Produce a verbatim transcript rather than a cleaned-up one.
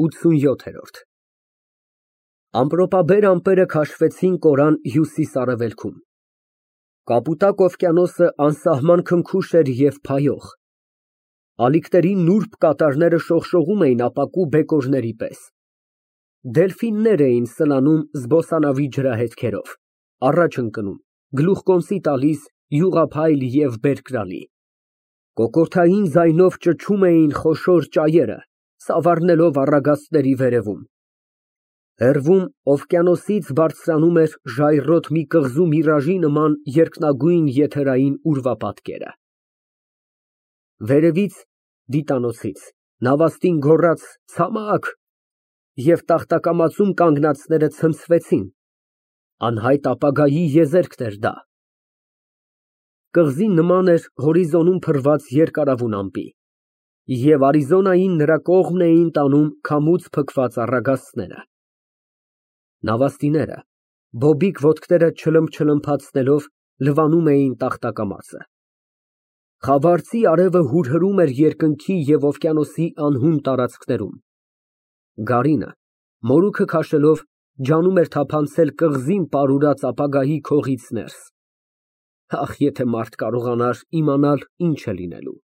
ութսունյոթ Ամպրոպաբեր ամպերը քաշվեցին կորան հյուսիս֊արևելքում, կապուտակ օվկիանոսը անսահման քնքուշ էր և փայող, ալիքների նուրբ կատարները շողշողում էին ապակու բեկորների պես, դելֆիններ էին սլանում զբոսանավի ջրահետքերով, առաջ ընկնում, գլուխկոնծի տալիս յուղափայլ և բերկրալի, կոկորդային ձայնով ճչում էին խոշոր ճայերը, սավառնելով առագաստների վերևում, հեռվում օվկիանոսից բարձրանում էր ժայռոտ մի կղզու միրաժի նման երկնագույն եթերային ուրվապատկերը։ Վերևից, դիտանոցից, նավաստին գոռաց «Ցամաք» և տախտակամածում կանգնածները ցնցվեցին, անհայտ ապագայի եզերքն էր դա։ Կղզին նման էր հորիզոնում փռված երկարավուն ամպի, և Արիզոնային նրա կողմն էին տանում քամուց փքված առագաստները։ Նավաստիները, բոբիկ ոտքերը չլմփչլմփացնելով, լվանում էին տախտակամածը։ Խավարծի արևը հուրհրում էր երկնքի և օվկիանոսի անհուն տարածքներում։ Գարինը, մորուքը քաշելով, ջանում էր թափանցել կղզին պարուրած ապագայի քողից ներս։ Ախ, եթե մարդ կարողանար իմանալ ինչ է լինելու։